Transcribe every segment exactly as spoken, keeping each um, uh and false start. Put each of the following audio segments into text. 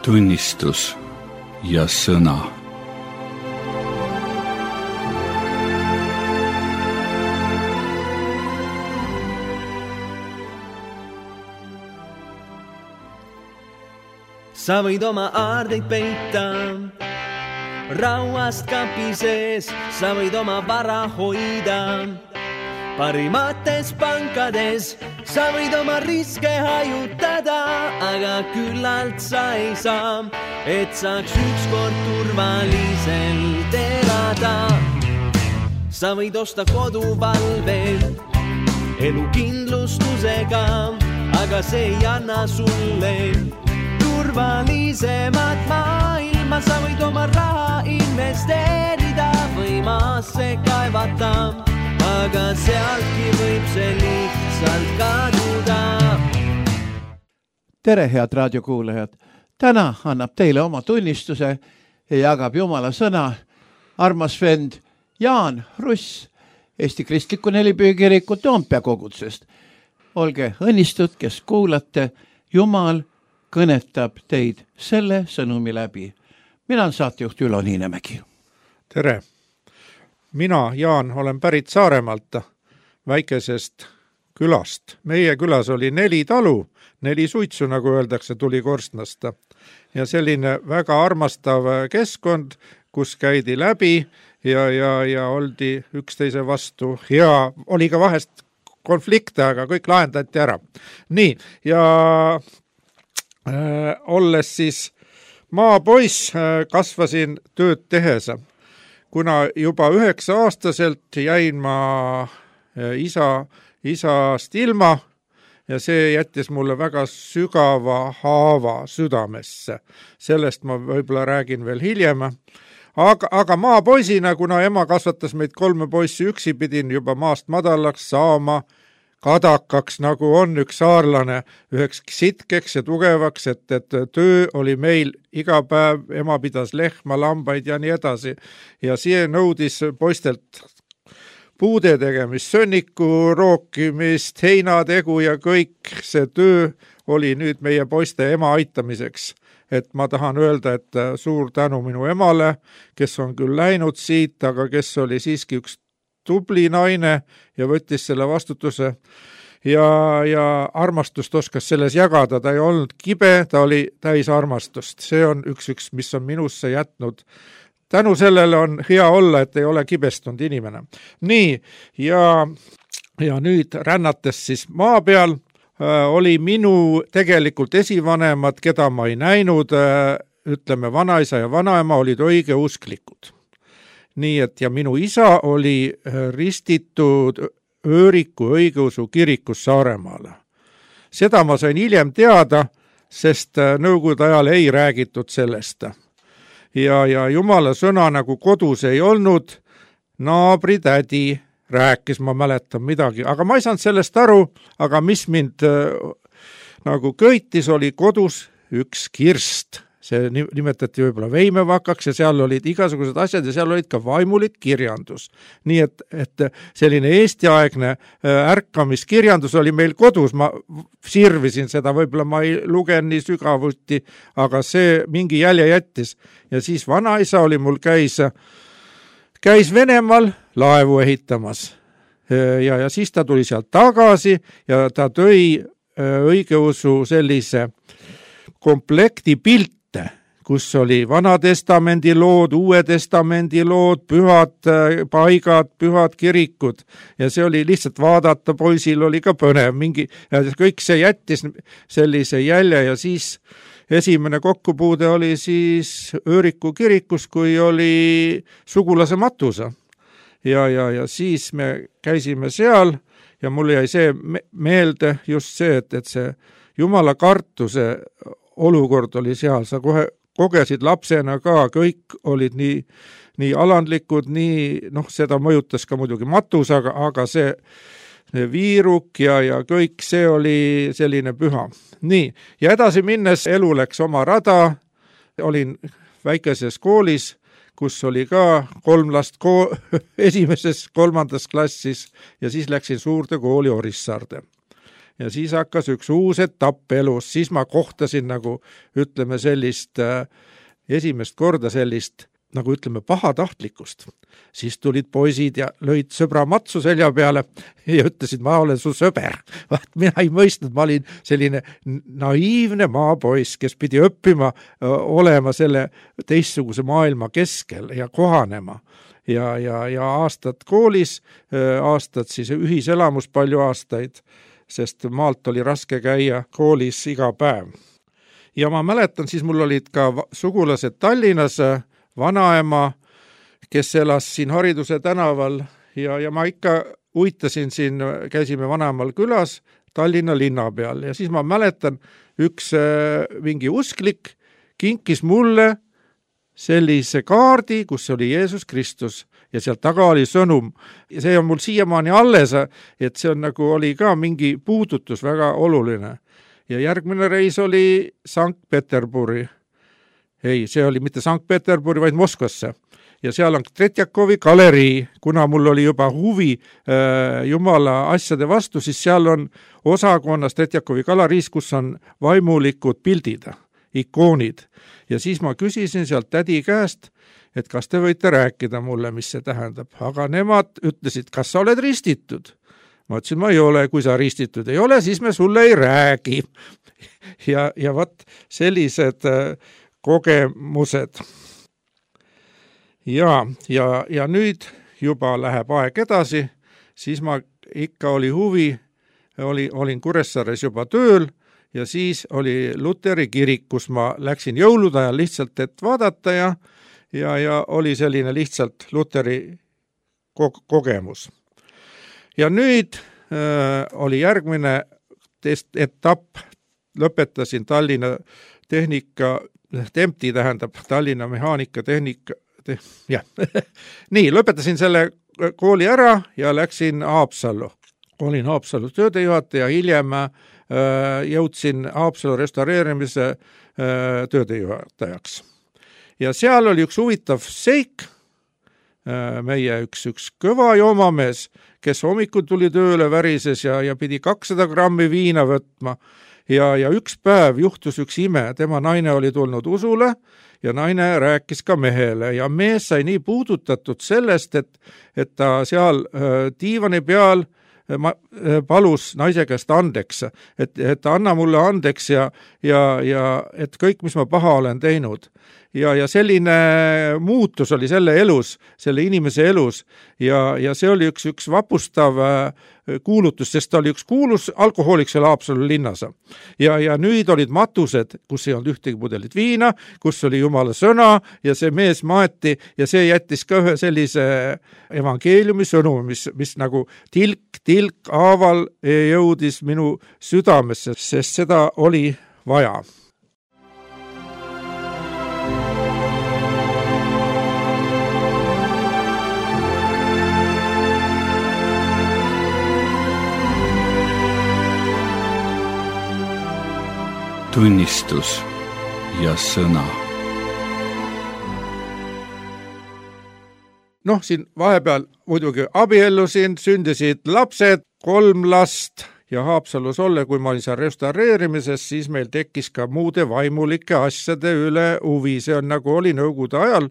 tunnistus ja sõna. Sa võid oma aardeid peita rauast kapi sees, sa võid oma vara hoida parimates pankades, sa võid oma riske hajutada, aga küllalt sa ei saa, et saaks ükskord turvaliselt elada. Sa võid osta koduvalve elukindlustusega, aga see ei anna sulle turvalisemat maailma. Sa võid oma raha investeerida või maasse kaevata, aga sealtki võib see lihtsalt kaduda. Tere, head raadiokuulajad! Täna annab teile oma tunnistuse ja jagab Jumala sõna armas vend Jaan Russ Eesti Kristliku Nelipüükiriku Toompea kogutsest. Olge õnnistud, kes kuulate, Jumal kõnetab teid selle sõnumi läbi. Mina olen saatejuht Ülo Niinemägi. Tere! Mina, Jaan, olen pärit Saaremaalt, väikesest külast. Meie külas oli neli talu, neli suitsu, nagu öeldakse, tuli korstnast. Ja selline väga armastav keskkond, kus käidi läbi ja, ja, ja oldi üksteise vastu. Ja oli ka vahest konflikte, aga kõik lahendati ära. Nii, ja äh, olles siis maapoiss, äh, kasvasin tööd tehes. Kuna juba üheksa aastaselt jäin ma isa, isast ilma ja see jättis mulle väga sügava haava südamesse. Sellest ma võib-olla räägin veel hiljem. Aga, aga maapoisina, kuna ema kasvatas meid kolme poissi üksi, pidin juba maast madalaks saama kadakaks, nagu on üks saarlane, üheks sitkeks ja tugevaks, et, et töö oli meil iga päev, ema pidas lehma, lambaid ja nii edasi. Ja see nõudis poistelt puude tegemist, sönniku rookimist, heinategu ja kõik see töö oli nüüd meie poiste ema aitamiseks. Et ma tahan öelda, et suur tänu minu emale, kes on küll läinud siit, aga kes oli siiski üks tubli naine ja võttis selle vastutuse ja, ja armastust oskas selles jagada. Ta ei olnud kibe, ta oli täis armastust. See on üks, üks, mis on minusse jätnud. Tänu sellele on hea olla, et ei ole kibestunud inimene. Nii, ja, ja nüüd rännates siis maa peal äh, oli minu tegelikult esivanemad, keda ma ei näinud, äh, ütleme vanaisa ja vanaema olid õige usklikud. Nii et ja minu isa oli ristitud Ööriku õigeusu kirikus Saaremaale. Seda ma sain hiljem teada, sest nõukogude ajal ei räägitud sellest. Ja, ja Jumala sõna nagu kodus ei olnud, naabritädi rääkis, ma mäletan midagi, aga ma ei saanud sellest aru, aga mis mind nagu köitis, oli kodus üks kirst. See nimetati võib-olla veimevakaks ja seal olid igasugused asjad ja seal olid ka vaimulik kirjandus. Nii et, et selline eestiaegne ärkamiskirjandus oli meil kodus. Ma sirvisin seda, võib-olla ma ei lugen nii sügavuti, aga see mingi jälje jättis. Ja siis vanaisa oli mul käis, käis Venemaal laevu ehitamas. Ja, ja siis ta tuli sealt tagasi ja ta tõi õigeusu sellise komplekti pilt, kus oli Vana Testamendi lood, Uue Testamendi lood, pühad paigad, pühad kirikud ja see oli lihtsalt vaadata, poisil oli ka põnev mingi, ja kõik see jättis sellise jälje ja siis esimene kokkupuude oli siis Ööriku kirikus, kui oli sugulase matusa ja, ja, ja siis me käisime seal ja mul jäi see meelde just see, et, et see Jumala kartuse olukord oli seal, sa kohe kogesid lapsena ka, kõik olid nii, nii alandlikud, nii, noh, seda mõjutas ka muidugi matus, aga, aga see, see viiruk ja, ja kõik see oli selline püha. Nii, ja edasi minnes elu läks oma rada, olin väikeses koolis, kus oli ka kolm last ko- esimeses kolmandas klassis ja siis läksin suurde kooli Orissaarde. ja siis hakkas üks uus etapp elus, siis ma kohtasin nagu ütleme sellist äh, esimest korda sellist nagu ütleme pahatahtlikkust. Siis tulid poisid ja lõid sõbra matsu selja peale ja ütlesid, ma olen su sõber. Vaat mina ei mõistnud, ma olin selline naiivne maapoiss, kes pidi õppima öö, olema selle teistsuguse maailma keskel ja kohanema. Ja, ja, ja aastad koolis, aastad siis ühiselamus palju aastaid, sest maalt oli raske käia koolis iga päev. Ja ma mäletan, siis mul olid ka sugulased Tallinnas, vanaema, kes elas siin Hariduse tänaval ja, ja ma ikka uitasin siin, käisime vanaemal külas Tallinna linna peal ja siis ma mäletan, üks mingi usklik kinkis mulle sellise kaardi, kus oli Jeesus Kristus ja seal taga oli sõnum. Ja see on mul siiamaani alles, et see on nagu oli ka mingi puudutus väga oluline. Ja järgmine reis oli Sankt-Peterburi. Ei, see oli mitte Sankt-Peterburi, vaid Moskvasse. Ja seal on Tretjakovi galerii, kuna mul oli juba huvi äh, Jumala asjade vastu, siis seal on osakonnas Tretjakovi galeriis, kus on vaimulikud pildid, ikoonid. Ja siis ma küsisin sealt tädi käest, et kas te võite rääkida mulle, mis see tähendab. Aga nemad ütlesid, kas sa oled ristitud? Ma ütlesin, ma ei ole, kui sa ristitud ei ole, siis me sulle ei räägi. Ja, ja võt sellised äh, kogemused. Ja, ja, ja nüüd juba läheb aeg edasi, siis ma ikka oli huvi, oli, olin Kuressaares juba tööl, ja siis oli Luteri kirik, kus ma läksin jõulude ajal lihtsalt, et vaadata ja, ja, ja oli selline lihtsalt Luteri ko- kogemus. Ja nüüd äh, oli järgmine test- etapp, lõpetasin Tallinna tehnika, Tempti tähendab Tallinna mehaanika tehnika, te, jah. Nii, lõpetasin selle kooli ära ja läksin Haapsallu. Olin Haapsallu töödejuhataja, hiljem jõudsin Haapsalu restaureerimise töödejuhatajaks. Ja seal oli üks huvitav seik, meie üks, üks kõva joomamees, kes hommikul tuli tööle värises ja, ja pidi kakssada grammi viina võtma. Ja, ja üks päev juhtus üks ime, tema naine oli tulnud usule ja naine rääkis ka mehele ja mees sai nii puudutatud sellest, et, et ta seal diivani peal ma palus naise käest andeks, et, et anna mulle andeks ja, ja, ja et kõik, mis ma paha olen teinud. Ja, ja selline muutus oli selle elus, selle inimese elus ja, ja see oli üks, üks vapustav kuulutus, sest ta oli üks kuulus alkohoolik seal Haapsalu linnas. Ja, ja nüüd olid matused, kus ei olnud ühtegi pudelit viina, kus oli Jumala sõna ja see mees maeti ja see jättis ka ühe sellise evangeeliumi sõnumi, mis, mis nagu tilk, tilk aaval jõudis minu südamesse, sest seda oli vaja. Tunnistus ja sõna. Noh, siin vahepeal muidugi abiellusin, sündisid lapsed, kolm last ja Haapsalus olle, kui ma olin seal restaureerimises, siis meil tekkis ka muude vaimulike asjade üle huvi. See on nagu oli nõukogude ajal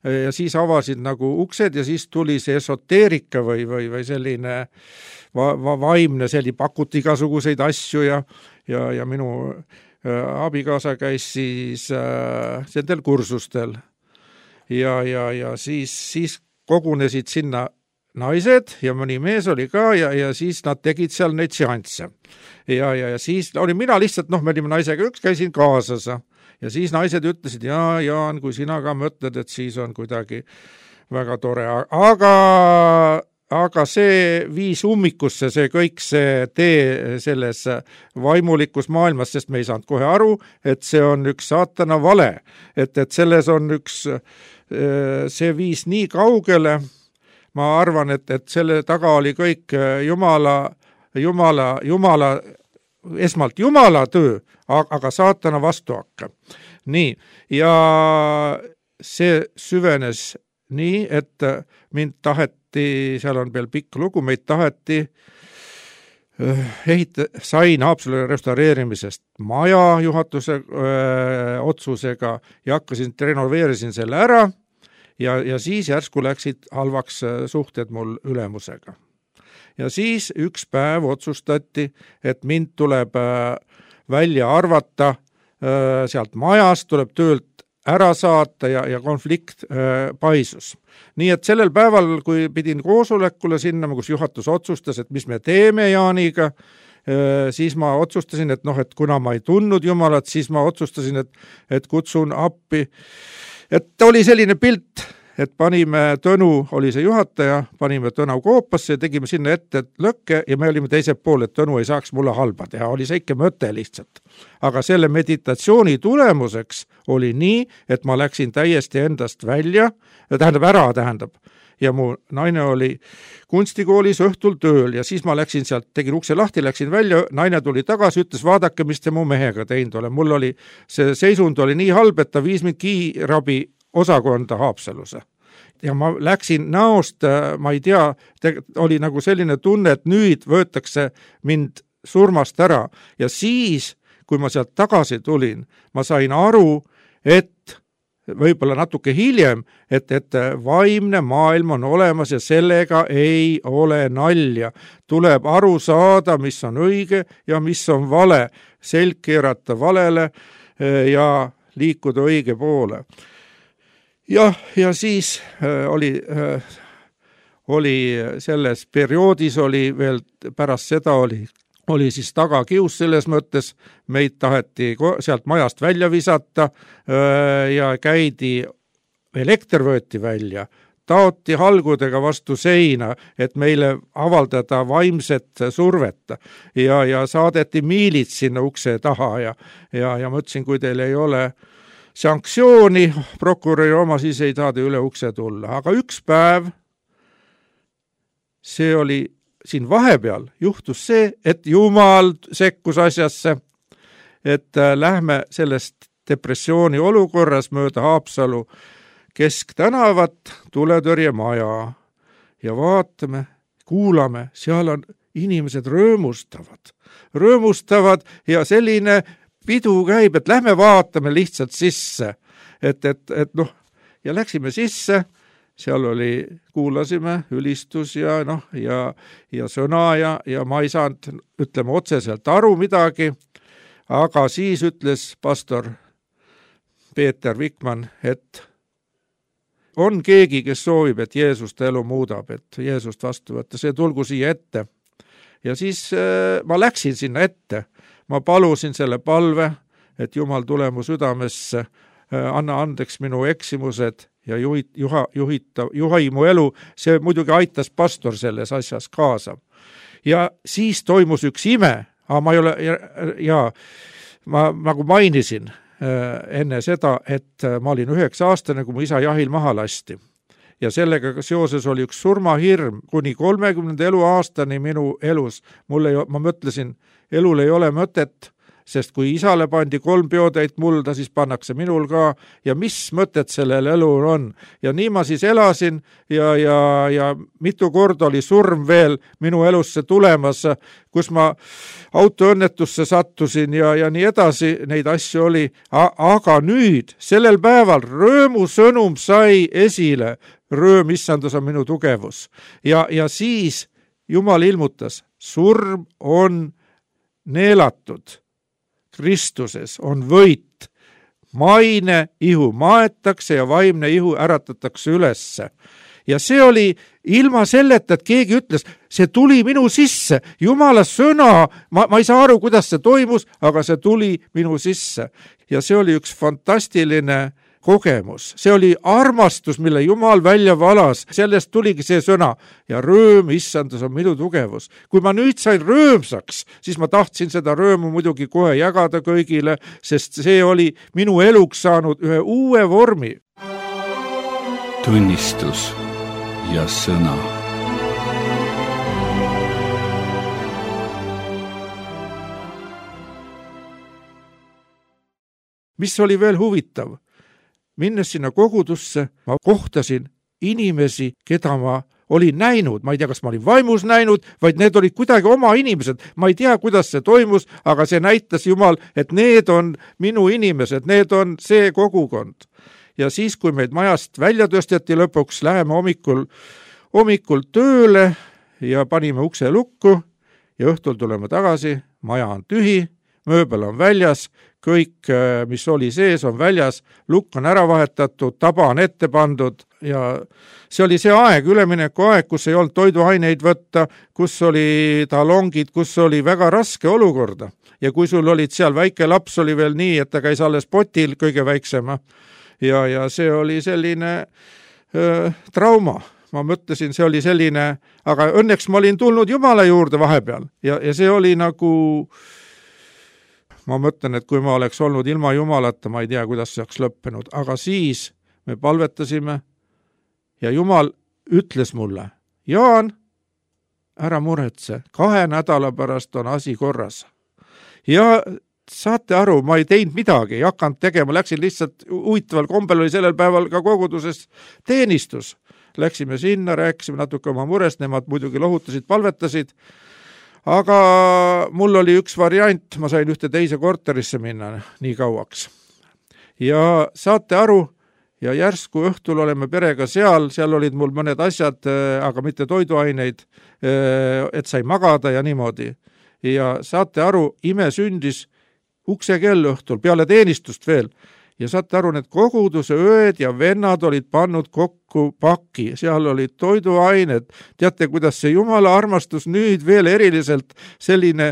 ja siis avasid nagu uksed ja siis tuli see esoteerika või, või, või selline va, va, vaimne, selline pakuti igasuguseid asju ja, ja, ja minu abikaasa käis siis äh, sendel kursustel ja, ja, ja siis, siis kogunesid sinna naised ja mõni mees oli ka ja, ja siis nad tegid seal neid seansse. Ja, ja, ja siis oli mina lihtsalt, noh, me olime naisega üks, käisin kaasas ja siis naised ütlesid, ja Jaan, kui sina ka mõtled, et siis on kuidagi väga tore, aga aga see viis ummikusse, see kõik see tee selles vaimulikus maailmas, sest me ei saanud kohe aru, et see on üks saatana vale, et, et selles on üks, see viis nii kaugele, ma arvan, et, et selle taga oli kõik Jumala, Jumala, Jumala, esmalt Jumala töö, aga saatana vastuhakka. Nii, ja see süvenes nii, et mind taheti, seal on veel pikk lugu, meid taheti ehita, sain Haapsalu restaureerimisest maja juhatuse öö, otsusega ja hakkasin, renoveerisin selle ära ja, ja siis järsku läksid halvaks suhted mul ülemusega. Ja siis üks päev otsustati, et mind tuleb välja arvata sealt majast, tuleb töölt ära saata ja, ja konflikt äh, paisus. Nii et sellel päeval, kui pidin koosolekule sinna, kus juhatus otsustas, et mis me teeme Jaaniga, äh, siis ma otsustasin, et noh, et kuna ma ei tundnud Jumalat, siis ma otsustasin, et, et kutsun appi. Et oli selline pilt, et panime Tõnu, oli see juhataja, panime Tõnu koopasse ja tegime sinna ette lõkke ja me olime teised pool, et Tõnu ei saaks mulle halba teha, oli see ikka mõte lihtsalt. Aga selle meditatsiooni tulemuseks oli nii, et ma läksin täiesti endast välja, tähendab ära, tähendab, ja mu naine oli kunstikoolis õhtul tööl ja siis ma läksin sealt, tegin ukse lahti, läksin välja, naine tuli tagasi, ütles, vaadake, mis te mu mehega teinud ole. Mul oli, see seisund oli nii halb, et ta viis mind kiirabi osakonda Haapsaluse. Ja ma läksin näost, ma ei tea, oli nagu selline tunne, et nüüd võetakse mind surmast ära. Ja siis, kui ma sealt tagasi tulin, ma sain aru, et võib-olla natuke hiljem, et, et vaimne maailm on olemas ja sellega ei ole nalja. Tuleb aru saada, mis on õige ja mis on vale. Selg keerata valele ja liikuda õige poole. Ja, ja siis äh, oli, äh, oli selles perioodis oli veel pärast seda oli, oli siis tagakius selles mõttes, meid taheti sealt majast välja visata äh, ja käidi, elekter võeti välja, taoti halgudega vastu seina, et meile avaldada vaimset survet ja, ja saadeti miilid sinna ukse taha ja, ja, ja mõtlesin, kui teil ei ole sanktsiooni, prokuröri oma siis ei tahada üle ukse tulla. Aga üks päev, see oli siin vahepeal, juhtus see, et Jumal sekkus asjasse, et lähme sellest depressiooni olukorras mööda Haapsalu kesktänavat tuletõrjemaja ja vaatame, kuulame, seal on inimesed röömustavad, röömustavad ja selline pidu käib, et lähme vaatame lihtsalt sisse, et, et, et noh, ja läksime sisse, seal oli, kuulasime ülistus ja noh, ja, ja sõna ja, ja ma ei saanud, ütleme otseselt aru midagi, aga siis ütles pastor Peeter Vikman, et on keegi, kes soovib, et Jeesust elu muudab, et Jeesust vastu võtta, see tulgu siia ette. Ja siis äh, ma läksin sinna ette. Ma palusin selle palve, et Jumal tule mu südamesse, anna andeks minu eksimused ja juhit, juha, juhita, juhai mu elu. See muidugi aitas pastor selles asjas kaasa. Ja siis toimus üks ime, aga ma ei ole, ja, ja ma nagu mainisin enne seda, et ma olin üheksa aastane, kui mu isa jahil maha lasti. Ja sellega seoses oli üks surmahirm kuni kolmekümnenda eluaastani minu elus. Mulle, ma mõtlesin, elul ei ole mõtet, sest kui isale pandi kolm peotäit mulda, siis pannakse minul ka ja mis mõtet sellel elul on. Ja nii ma siis elasin ja, ja, ja mitu korda oli surm veel minu elusse tulemas, kus ma autoõnnetusse sattusin ja, ja nii edasi, neid asju oli. Aga nüüd, sellel päeval röömusõnum sai esile, rööm issandus on minu tugevus. Ja, ja siis Jumal ilmutas, surm on neelatud. Kristuses on võit. Maine ihu maetakse ja vaimne ihu äratatakse ülesse. Ja see oli ilma selleta, et keegi ütles, see tuli minu sisse. Jumala sõna, ma, ma ei saa aru, kuidas see toimus, aga see tuli minu sisse. Ja see oli üks fantastiline kogemus. See oli armastus, mille Jumal välja valas. Sellest tuligi see sõna. Ja rööm, issandus on minu tugevus. Kui ma nüüd sain röömsaks, siis ma tahtsin seda röömu muidugi kohe jagada kõigile, sest see oli minu eluks saanud ühe uue vormi. Tunnistus ja sõna. Mis oli veel huvitav? Minnes sinna kogudusse, ma kohtasin inimesi, keda ma olin näinud, ma ei tea, kas ma olin vaimus näinud, vaid need olid kuidagi oma inimesed. Ma ei tea, kuidas see toimus, aga see näitas Jumal, et need on minu inimesed, need on see kogukond. Ja siis, kui meid majast välja tõsteti lõpuks, läheme hommikul, hommikul tööle ja panime ukse lukku ja õhtul tuleme tagasi, maja on tühi, mööbel on väljas, kõik, mis oli sees, on väljas, lukk on ära vahetatud, taba on ette pandud ja see oli see aeg, ülemineku aeg, kus ei olnud toiduaineid võtta, kus oli talongid, kus oli väga raske olukorda. Ja kui sul olid seal väike laps, oli veel nii, et ta käis alles potil kõige väiksema ja, ja see oli selline öö, trauma. Ma mõtlesin, see oli selline, aga õnneks ma olin tulnud Jumala juurde vahepeal ja, ja see oli nagu... Ma mõtlen, et kui ma oleks olnud ilma Jumalata, ma ei tea, kuidas see oleks lõppenud, aga siis me palvetasime ja Jumal ütles mulle, Jaan, ära muretse, kahe nädala pärast on asi korras. Ja saate aru, ma ei teinud midagi, ei hakanud tegema, läksin lihtsalt huvitaval kombel oli sellel päeval ka koguduses teenistus. Läksime sinna, rääkisime natuke oma murest, nemad muidugi lohutasid, palvetasid, aga mul oli üks variant, ma sain ühte teise korterisse minna nii kauaks. Ja saate aru, ja järsku õhtul oleme perega seal, seal olid mul mõned asjad, aga mitte toiduaineid, et sai magada ja niimoodi. Ja saate aru, ime sündis ukse kell õhtul, peale teenistust veel. Ja saate aru, need koguduse ööd ja vennad olid pannud kokku paki, seal olid toiduained. Teate, kuidas see Jumala armastus nüüd veel eriliselt selline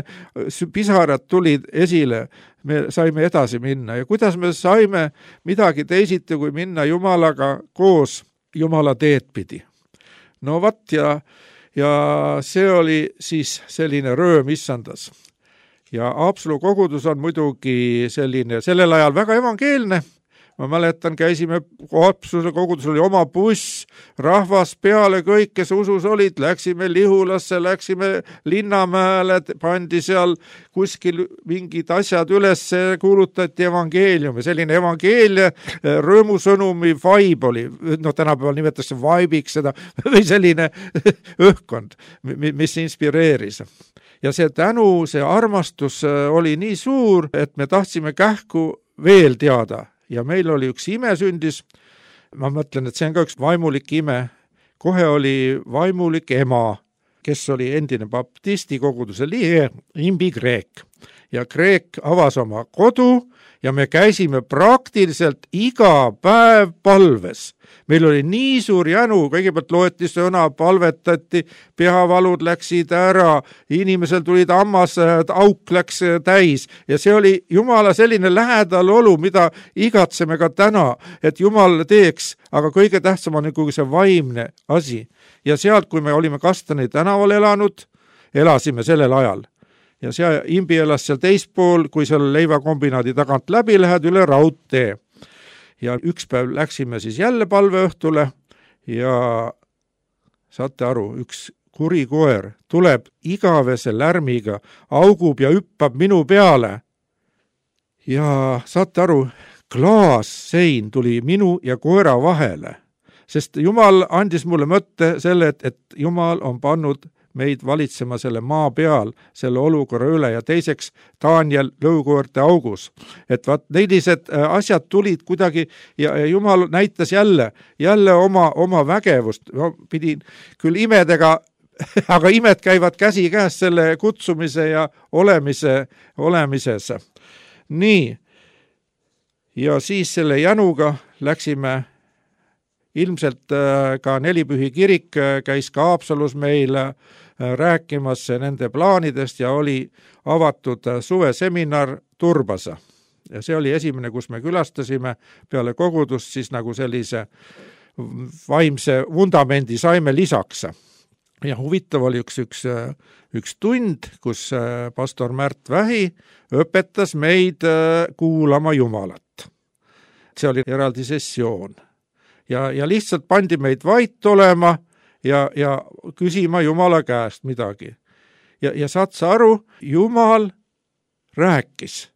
pisarad tulid esile. Me saime edasi minna ja kuidas me saime midagi teisiti, kui minna Jumalaga koos Jumala teed pidi. No vat ja, ja see oli siis selline rööm issandas. Ja Haapsalu kogudus on muidugi selline, sellel ajal väga evangeelne. Ma mäletan, käisime, Haapsalu kogudus oli oma buss, rahvas peale kõik, kes usus olid, läksime Lihulasse, läksime Linnamäele, pandi seal kuskil mingid asjad üles, kuulutati evangeeliumi, selline evangeelia rõõmusõnumi vibe oli, no tänapäeval nimetatakse vibe'iks seda, või selline õhkkond, mis inspireeris. Ja see tänu, see armastus oli nii suur, et me tahtsime kähku veel teada. Ja meil oli üks ime sündis, ma mõtlen, et see on ka üks vaimulik ime. Kohe oli vaimulik ema, kes oli endine baptisti koguduse liige, Imbi Kreek. Ja Kreek avas oma kodu ja me käisime praktiliselt iga päev palves. Meil oli nii suur jänu, kõigepealt loeti sõna, palvetati, peavalud läksid ära, inimesel tulid hammas, auk läks täis ja see oli Jumala selline lähedal olu, mida igatseme ka täna, et Jumal teeks, aga kõige tähtsam on nagu see vaimne asi. Ja sealt, kui me olime Kastani tänaval elanud, elasime sellel ajal. Ja see Imbi elas seal teispool, kui seal leivakombinaadi tagant läbi lähed üle raudtee. Ja üks päev läksime siis jälle palveõhtule ja saate aru, üks kuri koer tuleb igavese lärmiga, augub ja hüppab minu peale. Ja saate aru, klaassein tuli minu ja koera vahele, sest Jumal andis mulle mõtte selle, et, et Jumal on pannud meid valitsema selle maa peal, selle olukorra üle ja teiseks Daniel lõukoorte augus. Et vaat nelised asjad tulid kuidagi ja Jumal näitas jälle, jälle oma, oma vägevust. No, pidin küll imedega, aga imed käivad käsi käes selle kutsumise ja olemise, olemises. Nii, ja siis selle jänuga läksime ilmselt ka Nelipühi kirik käis ka Haapsalus meil rääkimas nende plaanidest ja oli avatud suveseminar Turbasa. Ja see oli esimene, kus me külastasime peale kogudust, siis nagu sellise vaimse vundamendi saime lisaks. Ja huvitav oli üks, üks, üks tund, kus pastor Märt Vähi õpetas meid kuulama Jumalat. See oli eraldi sessioon. Ja, ja lihtsalt pandi meid vait olema ja, ja küsima Jumala käest midagi. Ja, ja saad sa aru, Jumal rääkis.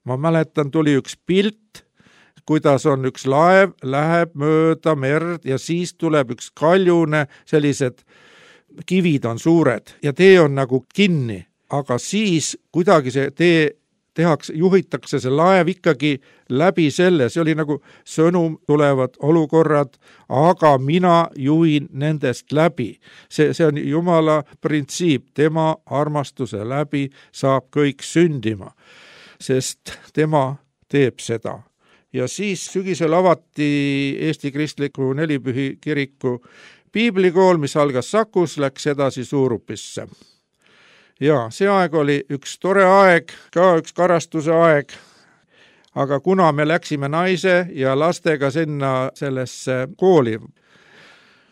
Ma mäletan, tuli üks pilt, kuidas on üks laev, läheb mööda merd ja siis tuleb üks kaljune, sellised kivid on suured ja tee on nagu kinni, aga siis kuidagi see tee tehakse, juhitakse see laev ikkagi läbi selle, see oli nagu sõnum, tulevad olukorrad, aga mina juhin nendest läbi. See, see on Jumala printsiip, tema armastuse läbi saab kõik sündima, sest tema teeb seda. Ja siis sügisel avati Eesti Kristliku Nelipühi kiriku piiblikool, mis algas Sakus, läks edasi Suurupisse. Ja see aeg oli üks tore aeg, ka üks karastuse aeg, aga kuna me läksime naise ja lastega sinna sellesse kooli,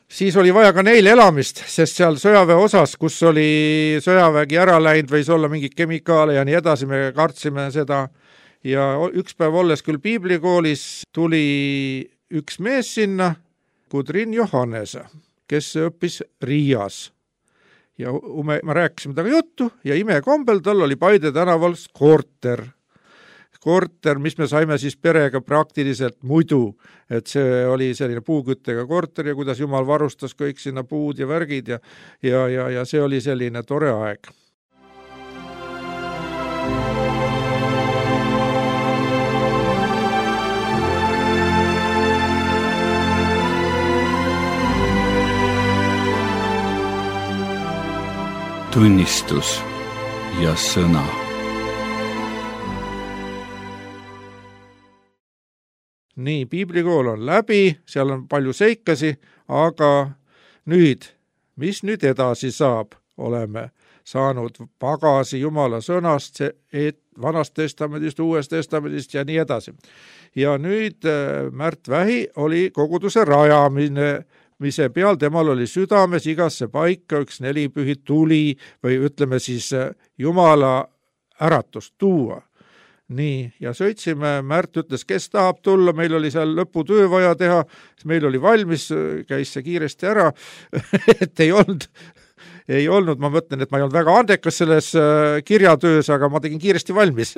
siis oli vaja ka neil elamist, sest seal sõjaväe osas, kus oli sõjavägi ära läinud, võis olla mingi kemikaale ja nii edasi, me kartsime seda. Ja üks päev olles küll piiblikoolis tuli üks mees sinna, Kudrin Johannes, kes õppis Riias. Ja me, me rääkisime taga juttu ja imekombel tal oli Paide tänaval korter. Korter, mis me saime siis perega praktiliselt muidu, et see oli selline puuküttega korter ja kuidas Jumal varustas kõik sinna puud ja värgid ja, ja, ja, ja see oli selline tore aeg. Tunnistus ja sõna. Nii, piiblikool on läbi, seal on palju seikasi, aga nüüd, mis nüüd edasi saab? Oleme saanud pagasi Jumala sõnast, et vanast testamendist, uuest testamendist ja nii edasi. Ja nüüd Märt Vähi oli koguduse rajamine, mise peal temal oli südames igasse paika üks nelipühi tuli või ütleme siis Jumala äratust tuua. Nii, ja sõitsime, Märt ütles, kes tahab tulla, meil oli seal lõputöö vaja teha, meil oli valmis, käis see kiiresti ära, et ei olnud, ei olnud, ma mõtlen, et ma ei olnud väga andekas selles kirjatöös, aga ma tegin kiiresti valmis.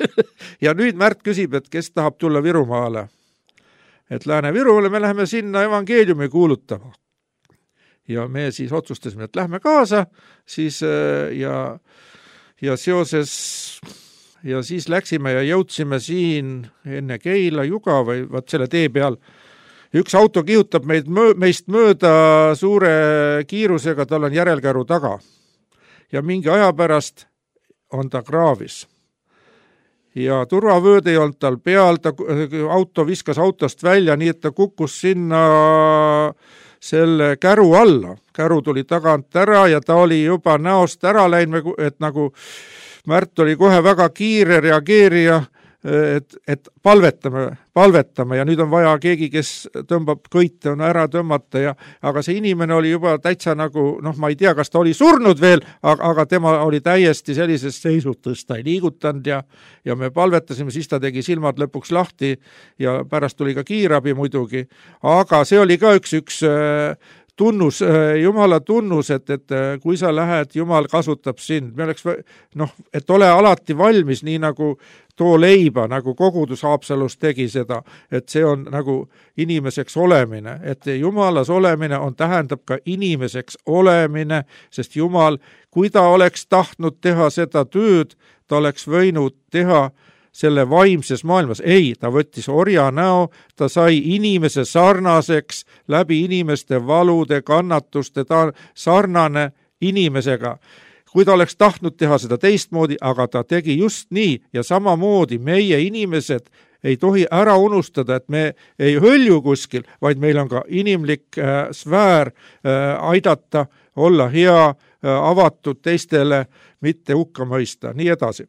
Ja nüüd Märt küsib, et kes tahab tulla Virumaale. Et Lääne-Virumaale me läheme sinna evangeeliumi kuulutama. Ja me siis otsustasime, et lähme kaasa, siis ja, ja seoses ja siis läksime ja jõudsime siin enne Keila Juga või vaat selle tee peal. Üks auto kihutab meid, meist mööda suure kiirusega, tal on järelkäru taga. Ja mingi aja pärast on ta kraavis. Ja turvavööd ei olnud tal peal, ta, auto viskas autost välja, nii et ta kukkus sinna selle käru alla. Käru tuli tagant ära ja ta oli juba näost ära läinud, et nagu Märt oli kohe väga kiire reageerija, et, et palvetame, palvetame ja nüüd on vaja keegi, kes tõmbab kõite, on ära tõmmata ja, aga see inimene oli juba täitsa nagu, noh, ma ei tea, kas ta oli surnud veel, aga, aga tema oli täiesti sellises seisutus, ta ei liigutanud ja, ja me palvetasime, siis ta tegi silmad lõpuks lahti ja pärast tuli ka kiirabi muidugi, aga see oli ka üks, üks tunnus, Jumala tunnus, et, et kui sa lähed, Jumal kasutab sind. Me oleks, noh, et ole alati valmis, nii nagu too leiba, nagu kogudus Haapsalus tegi seda, et see on nagu inimeseks olemine, et Jumalas olemine on, tähendab ka inimeseks olemine, sest Jumal, kui ta oleks tahtnud teha seda tööd, ta oleks võinud teha selle vaimses maailmas. Ei, ta võttis orja näo, ta sai inimese sarnaseks läbi inimeste valude, kannatuste, ta sarnane inimesega. Kui ta oleks tahtnud teha seda teistmoodi, aga ta tegi just nii ja samamoodi meie inimesed ei tohi ära unustada, et me ei hõlju kuskil, vaid meil on ka inimlik äh, sfäär äh, aidata, olla hea, äh, avatud teistele, mitte hukka mõista, nii edasi.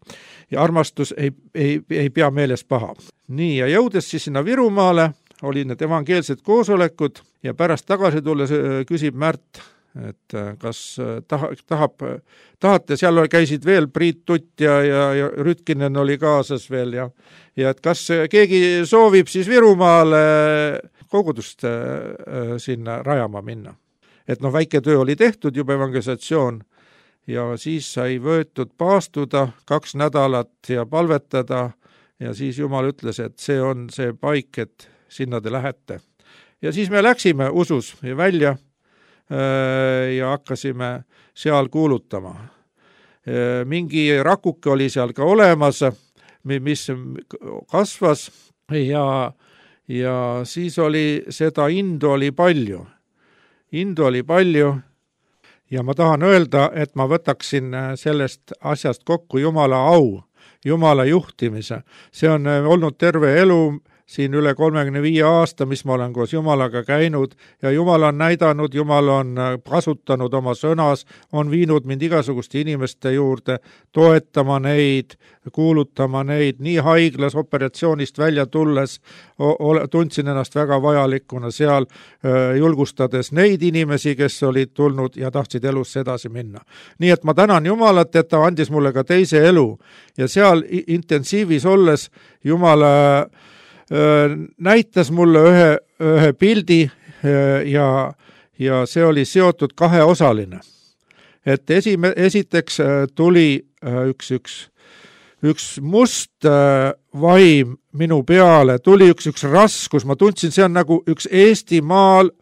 Ja armastus ei, ei, ei pea meeles paha. Nii, ja jõudes siis sinna Virumaale, oli need evangeelsed koosolekud ja pärast tagasi tulles küsib Märt, et kas tahab, tahab, tahate, seal käisid veel Priit Tutt ja, ja, ja Rütkinen oli kaasas veel ja, ja et kas keegi soovib siis Virumaale kogudust äh, sinna rajama minna. Et noh, väike töö oli tehtud juba evangelisatsioon ja siis sai võetud paastuda kaks nädalat ja palvetada ja siis Jumal ütles, et see on see paik, et sinna te lähete. Ja siis me läksime usus välja ja hakkasime seal kuulutama. Mingi rakuke oli seal ka olemas, mis kasvas ja, ja siis oli seda indu oli palju. Indu oli palju ja ma tahan öelda, et ma võtaksin sellest asjast kokku Jumala au, Jumala juhtimise. See on olnud terve elu, siin üle kolmekümne viie aasta, mis ma olen koos Jumalaga käinud ja Jumal on näidanud, Jumal on kasutanud oma sõnas, on viinud mind igasuguste inimeste juurde, toetama neid, kuulutama neid, nii haiglas operatsioonist välja tulles tundsin ennast väga vajalikuna seal, julgustades neid inimesi, kes olid tulnud ja tahtsid elus edasi minna. Nii et ma tänan Jumalat, et ta andis mulle ka teise elu ja seal intensiivis olles Jumal näitas mulle ühe, ühe pildi ja, ja see oli seotud kaheosaline. Et esime, esiteks tuli üks, üks, üks must vaim minu peale, tuli üks, üks raskus, ma tundsin, see on nagu üks Eestimaal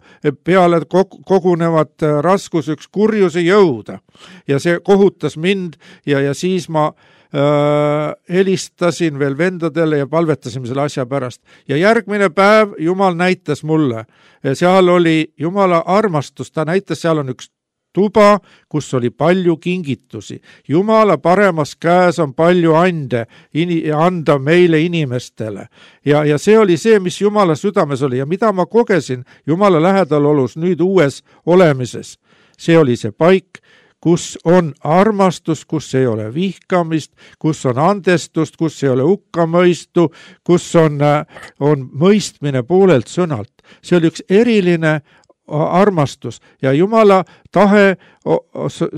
peale kogunevat raskus, üks kurjuse jõuda ja see kohutas mind ja, ja siis ma helistasin veel vendadele ja palvetasime selle asja pärast. Ja järgmine päev Jumal näitas mulle, seal oli Jumala armastus, ta näitas, seal on üks tuba, kus oli palju kingitusi. Jumala paremas käes on palju ande anda meile inimestele. Ja, ja see oli see, mis Jumala südames oli ja mida ma kogesin Jumala lähedal olus nüüd uues olemises. See oli see paik, kus on armastus, kus ei ole vihkamist, kus on andestust, kus ei ole hukkamõistu, kus on, on mõistmine poolelt sõnalt. See oli üks eriline armastus ja Jumala tahe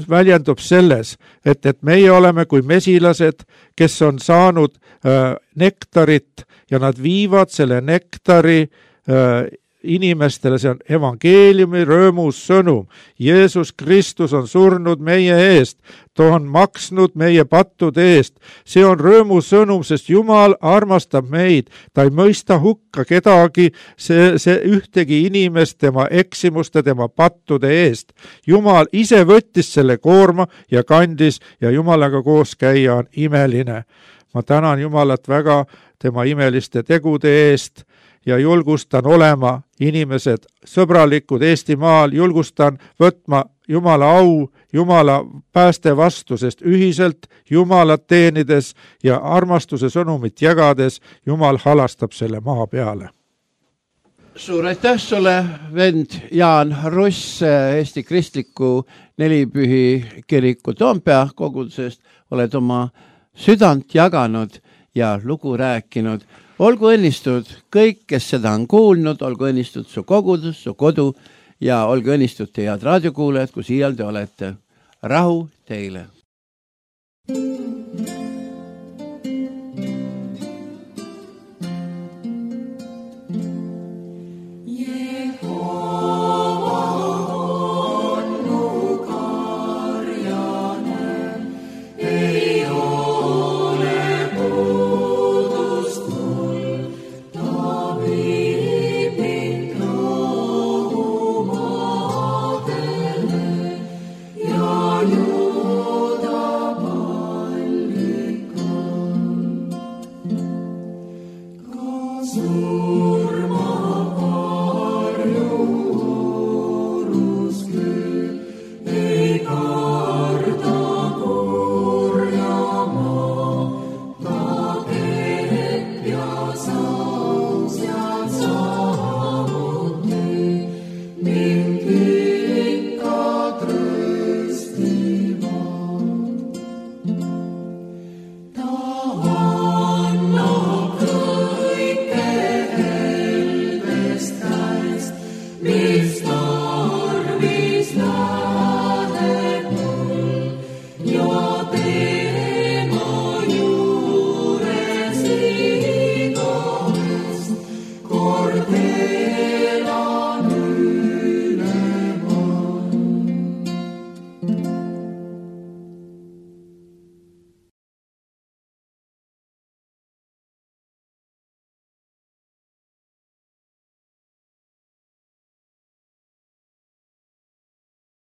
väljendub selles, et, et meie oleme kui mesilased, kes on saanud äh, nektarit ja nad viivad selle nektari äh, inimestele, see on evangeeliumi rõõmus sõnum. Jeesus Kristus on surnud meie eest, ta on maksnud meie pattude eest. See on rõõmus sõnum, sest Jumal armastab meid, ta ei mõista hukka kedagi, see, see ühtegi inimest tema eksimuste, tema pattude eest. Jumal ise võttis selle koorma ja kandis ja Jumalaga koos käia on imeline. Ma tänan Jumalat väga tema imeliste tegude eest ja julgustan olema inimesed sõbralikud Eestimaal, julgustan võtma Jumala au, Jumala pääste vastu, sest ühiselt Jumalat teenides ja armastuse sõnumit jagades Jumal halastab selle maa peale. Suur aitäh sulle, vend Jaan Russ Eesti Kristliku Nelipühi kiriku Toompea kogudusest. Oled oma südant jaganud ja lugu rääkinud. Olgu õnnistud kõik, kes seda on kuulnud, olgu õnnistud su kogudus, su kodu ja olgu õnnistud teie head raadiokuulajad, kus iial te olete. Rahu teile!